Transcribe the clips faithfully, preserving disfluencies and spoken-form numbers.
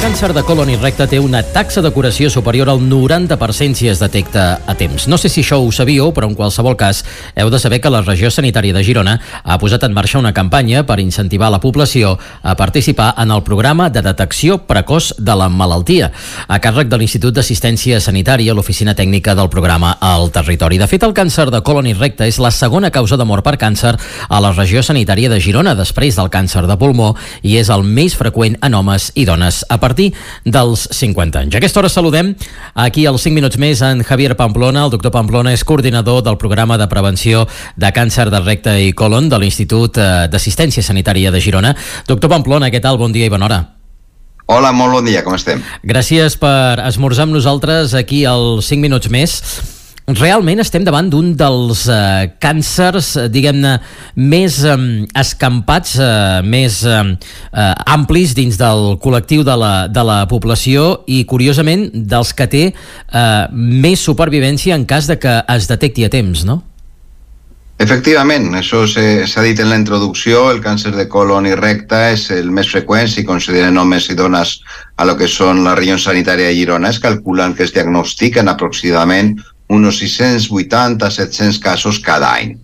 càncer de colon i recte té una taxa de curació superior al noranta per cent si es detecta a temps. No sé si això ho sabíeu, però en qualsevol cas heu de saber que la regió sanitària de Girona ha posat en marxa una campanya per incentivar la població a participar en el programa de detecció precoç de la malaltia, a càrrec de l'Institut d'Assistència Sanitària, l'oficina tècnica del programa al territori. De fet, el càncer de colon i recte és la segona causa de mort per càncer a la regió sanitària de Girona, després del càncer de pulmó, i és el més freqüent en homes i dones a partir dels cinquanta anys. A aquesta hora saludem aquí als cinc minuts més en Javier Pamplona. El doctor Pamplona és coordinador del programa de prevenció de càncer de recte i colon de l'Institut d'Assistència Sanitària de Girona. Doctor Pamplona, què tal? Bon dia i bona hora. Hola, molt bon dia, com estem? Gràcies per esmorzar amb nosaltres aquí als cinc minuts més. Realment estem davant d'un dels eh, càncers, diguem-ne, més eh, escampats, eh, més eh, amplis dins del col·lectiu de la, de la població i, curiosament, dels que té eh, més supervivència en cas de que es detecti a temps, no? Efectivament, això s'ha dit en la introducció, el càncer de colon i recte és el més freqüent si consideren homes i dones a lo que són la regió sanitària de Girona. Es calculen que es diagnostiquen aproximadament unos seiscientos vuitanta a setecientos casos cada any.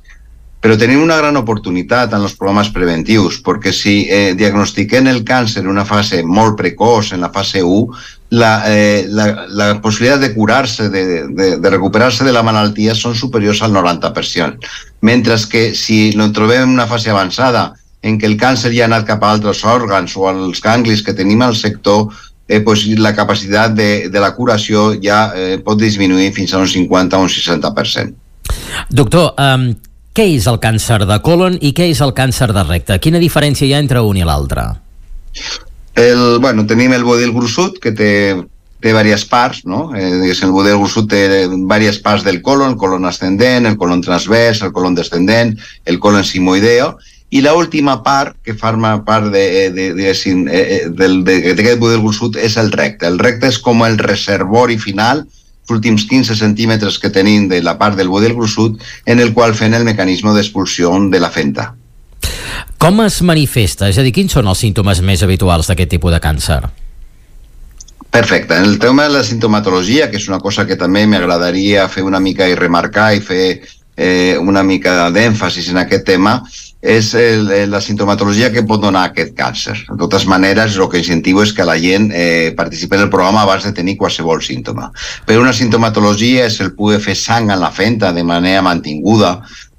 Però tenim una gran oportunitat en els programes preventius, perquè si eh, diagnostiquem el càncer en una fase molt precoç, en la fase u, la, eh, la, la possibilitat de curar-se, de, de, de recuperar-se de la malaltia són superiors al noranta per cent. Mentre que si no trobem en una fase avançada, en què el càncer ja ha anat cap a altres òrgans o als ganglis que tenim al sector, Eh, pues la capacitat de, de la curació ja eh, pot disminuir fins a un cinquanta o un seixanta per cent. Doctor, um, què és el càncer de colon i què és el càncer de recte? Quina diferència hi ha entre un i l'altre? El, bueno, tenim el budell gruixut, que té, té diverses parts, no? Eh, el budell gruixut té diverses parts del colon, el colon ascendent, el colon transvers, el colon descendent, el colon simoideo, i l'última part, que forma part de, de, de, de, del, de, d'aquest budell gruixut, és el recte. El recte és com el reservori final, els últims quinze centímetres que tenim de la part del budell gruixut, en el qual fem el mecanisme d'expulsió de la fenta. Com es manifesta? És a dir, quins són els símptomes més habituals d'aquest tipus de càncer? Perfecte. En el tema de la sintomatologia, que és una cosa que també m'agradaria fer una mica i remarcar i fer eh, una mica d'èmfasis en aquest tema, és el, la sintomatologia que pot donar aquest càncer. De totes maneres, el que incentivo és que la gent eh, participi en el programa abans de tenir qualsevol símptoma. Però una sintomatologia és el poder fer sang en la fenta de manera mantinguda,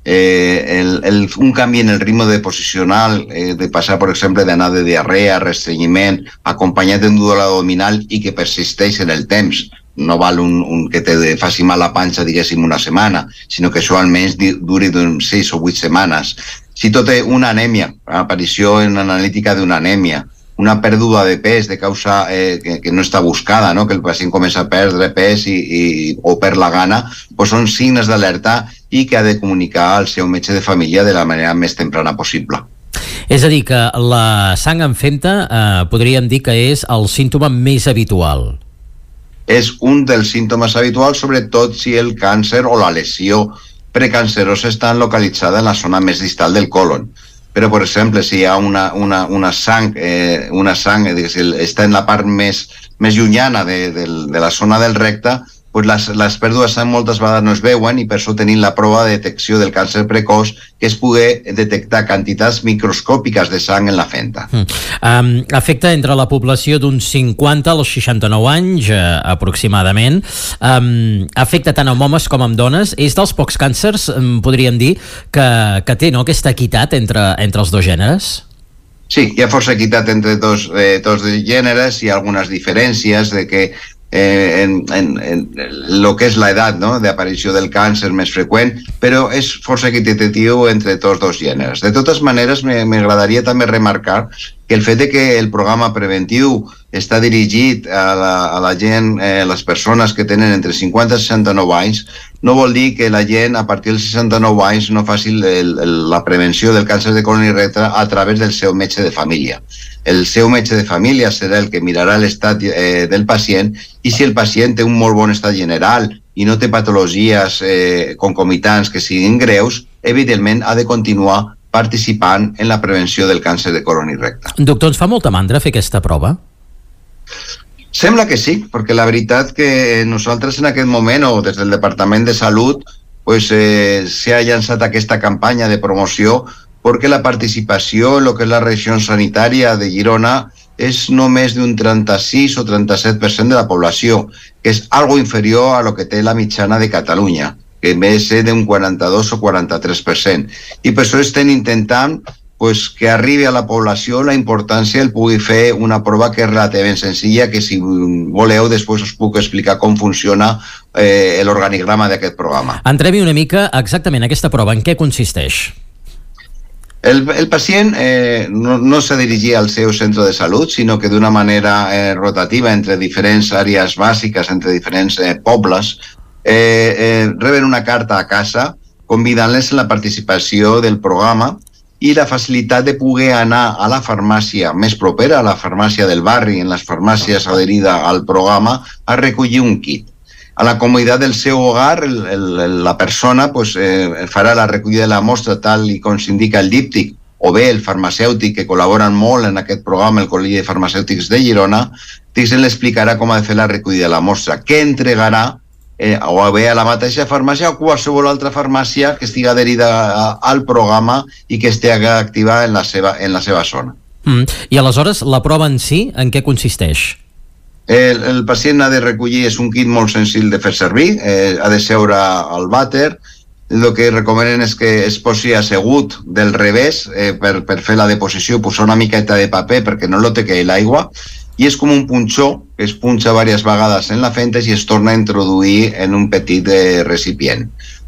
eh, el, el, un canvi en el ritme de posicional, eh, de passar, per exemple, d'anar de diarrea, restrenyiment, acompanyat d'un dolor abdominal i que persisteix en el temps. No val un, un que te faci mal la panxa, diguéssim, una setmana, sinó que això almenys duri d'uns sis o vuit setmanes. Si tot té una anèmia, aparició en analítica d'una anèmia, una pèrdua de pes de causa eh, que, que no està buscada, no? Que el pacient comença a perdre pes i, i, o perd la gana, doncs són signes d'alerta i que ha de comunicar al seu metge de família de la manera més temprana possible. És a dir, que la sang en fenta eh, podríem dir que és el símptoma més habitual. És un dels símptomes habituals, sobretot si el càncer o la lesió precancerosa estan localitzada en la zona més distal del colon. Però, per exemple, si hi ha una, una, una sang, eh, una sang eh, si està en la part més, més llunyana de, de, de la zona del recte, pues les, les pèrdues de sang moltes vegades no es veuen i per això tenim la prova de detecció del càncer precoç, que és poder detectar quantitats microscòpiques de sang en la fenta. Mm. Um, afecta entre la població d'uns cinquanta als seixanta-nou anys, eh, aproximadament. Um, afecta tant amb homes com amb dones. És dels pocs càncers, um, podríem dir, que, que té, no?, aquesta equitat entre, entre els dos gèneres? Sí, hi ha força equitat entre dos, eh, dos gèneres, hi ha algunes diferències de que Eh, en, en, en lo que és l'edat, no?, d'aparició del càncer més freqüent, però és força equitatiu entre tots dos gèneres. De totes maneres, m'agradaria també remarcar que el fet de que el programa preventiu està dirigit a la, a la gent, eh, les persones que tenen entre cinquanta i seixanta-nou anys, no vol dir que la gent a partir dels seixanta-nou anys no faci el, el, la prevenció del càncer de colon i recte a través del seu metge de família. El seu metge de família serà el que mirarà l'estat eh, del pacient, i si el pacient té un molt bon estat general i no té patologies eh, concomitants que siguin greus, evidentment ha de continuar participant en la prevenció del càncer de colon i recte. Doctor, ens fa molta mandra fer aquesta prova? Sembla que sí, perquè la veritat que nosaltres en aquest moment, o des del Departament de Salut, pues, eh, s'ha llançat aquesta campanya de promoció perquè la participació en el que és la regió sanitària de Girona és només d'un trenta-sis o trenta-set per cent de la població, que és algo inferior a lo que té la mitjana de Catalunya, que més és d'un quaranta-dos o quaranta-tres per cent. I per això estem intentant pues, que arribi a la població la importància el pugui fer una prova que és relativament senzilla, que si voleu després us puc explicar com funciona eh, l'organigrama d'aquest programa. Entrem-hi una mica exactament aquesta prova, en què consisteix? El, el pacient eh, no, no s'ha de dirigir al seu centre de salut, sinó que d'una manera eh, rotativa entre diferents àrees bàsiques, entre diferents eh, pobles, eh, eh, reben una carta a casa convidant-les a la participació del programa i la facilitat de poder anar a la farmàcia més propera, a la farmàcia del barri, en les farmàcies adherida al programa, a recollir un kit. A la comoditat del seu hogar, el, el, la persona pues, eh, farà la recollida de la mostra tal i com s'indica el díptic, o bé el farmacèutic, que col·laboren molt en aquest programa, el Col·legi de Farmacèutics de Girona, Tixen l'explicarà com ha de fer la recollida de la mostra, què entregarà Eh, o bé a la mateixa farmàcia o qualsevol altra farmàcia que estigui adherida a, al programa i que estigui activa en la seva, en la seva zona. Mm. I aleshores, la prova en si, en què consisteix? El, el pacient ha de recollir, és un kit molt senzill de fer servir, eh, ha de seure al vàter, el que recomenen és que es posi assegut del revés eh, per, per fer la deposició, posar una miqueta de paper perquè no lo tequi l'aigua, i és com un punxó que es punxa diverses vegades en la fentes i es torna a introduir en un petit eh, recipient.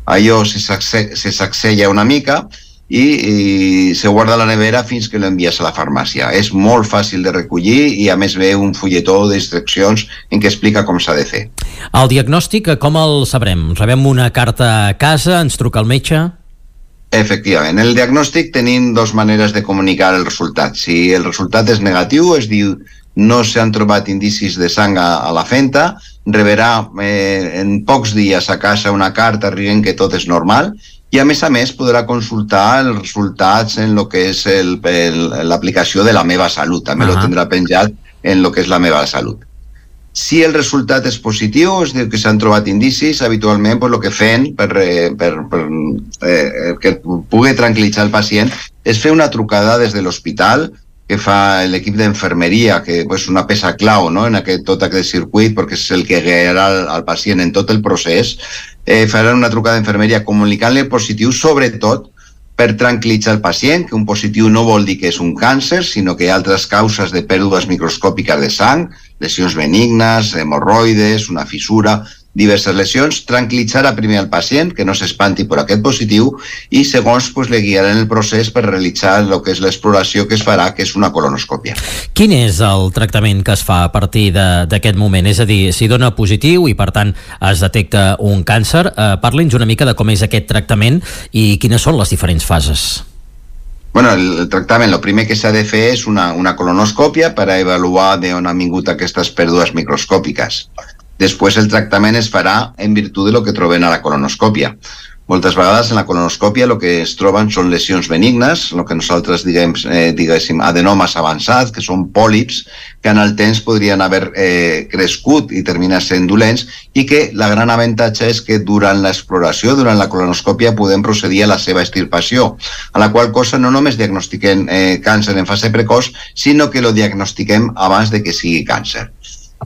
Allò se, sacse, se sacsella una mica i, i se guarda a la nevera fins que l'envies a la farmàcia. És molt fàcil de recollir i a més ve un fulletó d'instruccions en què explica com s'ha de fer. El diagnòstic, com el sabrem? Rebem una carta a casa, ens truca el metge? Efectivament. El diagnòstic tenim dues maneres de comunicar el resultat. Si el resultat és negatiu, es diu no s'han trobat indicis de sang a, a la fenta, rebrà eh, en pocs dies a casa una carta dient que tot és normal i a més a més podrà consultar els resultats en el que és l'aplicació de la meva salut, també uh-huh. lo tindrà penjat en el que és la meva salut. Si el resultat és positiu, és dir, que s'han trobat indicis, habitualment pues, el que fem per, per, per eh, que pugui tranquil·litzar el pacient és fer una trucada des de l'hospital que fa l'equip d'enfermeria, que és pues, una peça clau no? en aquest, tot aquest circuit, perquè és el que guiarà el, el pacient en tot el procés, eh, faran una trucada d'enfermeria comunicant-li el positiu, sobretot per tranquil·litzar el pacient, que un positiu no vol dir que és un càncer, sinó que hi ha altres causes de pèrdues microscòpiques de sang, lesions benignes, hemorroides, una fissura, diverses lesions, tranquil·litzar a primer el pacient, que no s'espanti per aquest positiu, i segons pues, le guiaran el procés per realitzar el que és l'exploració que es farà, que és una colonoscòpia. Quin és el tractament que es fa a partir d'aquest moment? És a dir, si dona positiu i per tant es detecta un càncer, eh, parli'ns una mica de com és aquest tractament i quines són les diferents fases. Bueno, el tractament, el primer que s'ha de fer és una, una colonoscòpia per a avaluar d'on han vingut aquestes pèrdues microscòpiques. Després el tractament es farà en virtut de lo que trobem a la colonoscòpia. Moltes vegades en la colonoscòpia el que es troben són lesions benignes, el que nosaltres diguem, eh, diguéssim adenomes avançats, que són pòlips, que en el temps podrien haver eh, crescut i terminar sent dolents, i que la gran avantatge és que durant l'exploració, durant la colonoscòpia, podem procedir a la seva extirpació, a la qual cosa no només diagnostiquem eh, càncer en fase precoç, sinó que lo diagnostiquem abans de que sigui càncer.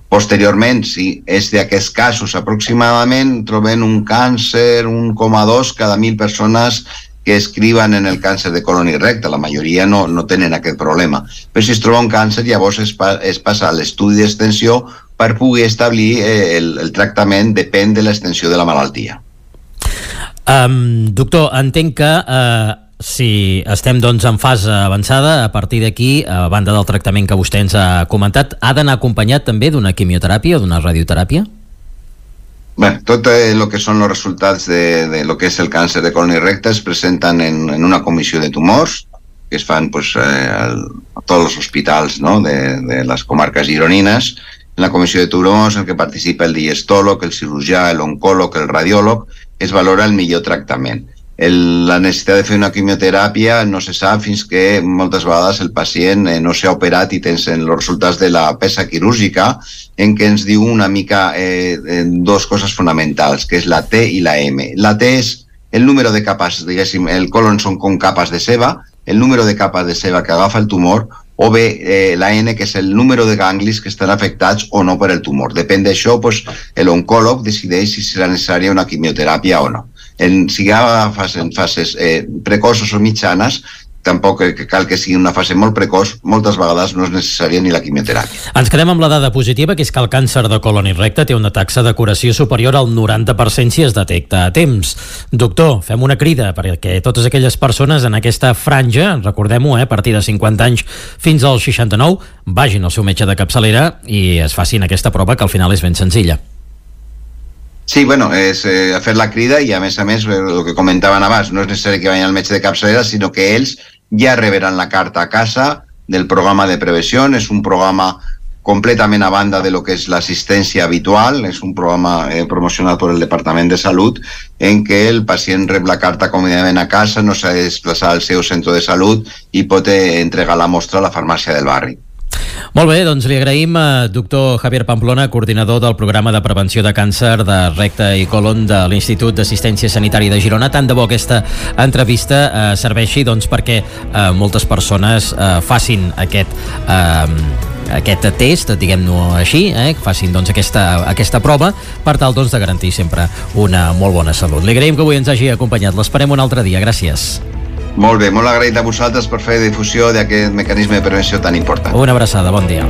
Posteriorment, si és d'aquests casos, aproximadament trobem un càncer un coma dos cada mil persones que escriuen en el càncer de colon i recte. La majoria no, no tenen aquest problema. Però si es troba un càncer, llavors es, pa, es passa a l'estudi d'extensió per poder establir eh, el, el tractament, depèn de l'extensió de la malaltia. Um, doctor, entenc que uh, si estem doncs en fase avançada, a partir d'aquí, a banda del tractament que vostè ens ha comentat, ha d'anar acompanyat també d'una quimioteràpia o d'una radioteràpia? Bé, tot el que són els resultats de, de lo que és el càncer de colon i recte es presenten en, en una comissió de tumors que es fan pues, eh, a tots els hospitals no? de, de les comarques gironines. En la comissió de tumors en què participa el digestòleg, el cirurgià, l'oncòleg, el radiòleg, es valora el millor tractament. el, la necessitat de fer una quimioteràpia no se sap fins que moltes vegades el pacient eh, no s'ha operat i tens els resultats de la peça quirúrgica, en què ens diu una mica eh, dos coses fonamentals, que és la T i la M. La T és el número de capes, diguéssim, el colon són com capes de ceba, el número de capes de ceba que agafa el tumor, o bé eh, la N, que és el número de ganglis que estan afectats o no per el tumor. Depèn d'això, pues, l'oncòleg decideix si serà necessària una quimioteràpia o no. En, si hi ha fases, en fases eh, precoces o mitjanes, tampoc cal que sigui una fase molt precoç, moltes vegades no és necessària ni la quimioteràpia. Ens quedem amb la dada positiva, que és que el càncer de colon i recte té una taxa de curació superior al noranta per cent si es detecta a temps. Doctor, fem una crida perquè totes aquelles persones en aquesta franja, recordem-ho, eh, a partir de cinquanta anys fins als seixanta-nou, vagin al seu metge de capçalera i es facin aquesta prova, que al final és ben senzilla. Sí, bueno, és eh, fer la crida i a més a més, el que comentaven abans, no és necessari que vagin al metge de capçalera, sinó que ells ja reberan la carta a casa del programa de prevenció. És un programa completament a banda de lo que és l'assistència habitual, és un programa eh, promocionat per el Departament de Salut, en què el pacient rep la carta còmodament a casa, no s'ha de desplaçar al seu centre de salut i pot eh, entregar la mostra a la farmàcia del barri. Molt bé, doncs li agraïm a doctor Javier Pamplona, coordinador del programa de prevenció de càncer de recte i colon de l'Institut d'Assistència Sanitària de Girona. Tant de bo aquesta entrevista eh, serveixi doncs, perquè eh, moltes persones eh, facin aquest eh, aquest test, diguem-ho així, eh, que facin doncs, aquesta, aquesta prova per tal doncs, de garantir sempre una molt bona salut. Li agraïm que avui ens hagi acompanyat. L'esperem un altre dia. Gràcies. Molt bé, molt agraït a vosaltres per fer difusió d'aquest mecanisme de prevenció tan important. Una abraçada, bon dia.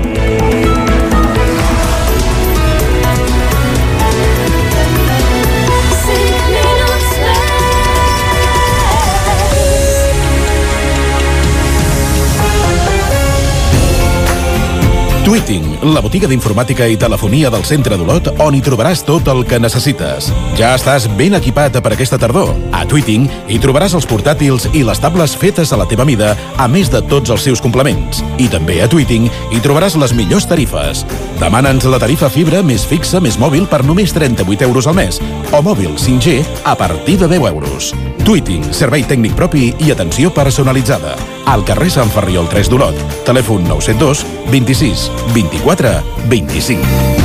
Tweeting, la botiga d'informàtica i telefonia del centre d'Olot, on hi trobaràs tot el que necessites. Ja estàs ben equipat per aquesta tardor. A Tweeting hi trobaràs els portàtils i les tables fetes a la teva mida, a més de tots els seus complements. I també a Tweeting hi trobaràs les millors tarifes. Demana'ns la tarifa fibra més fixa més mòbil per només trenta-vuit euros al mes, o mòbil cinc G a partir de deu euros. Tweeting, servei tècnic propi i atenció personalitzada. Al carrer Sant Ferriol tres d'Olot. Telèfon nou set dos, vint-i-sis, vint-i-quatre, vint-i-cinc.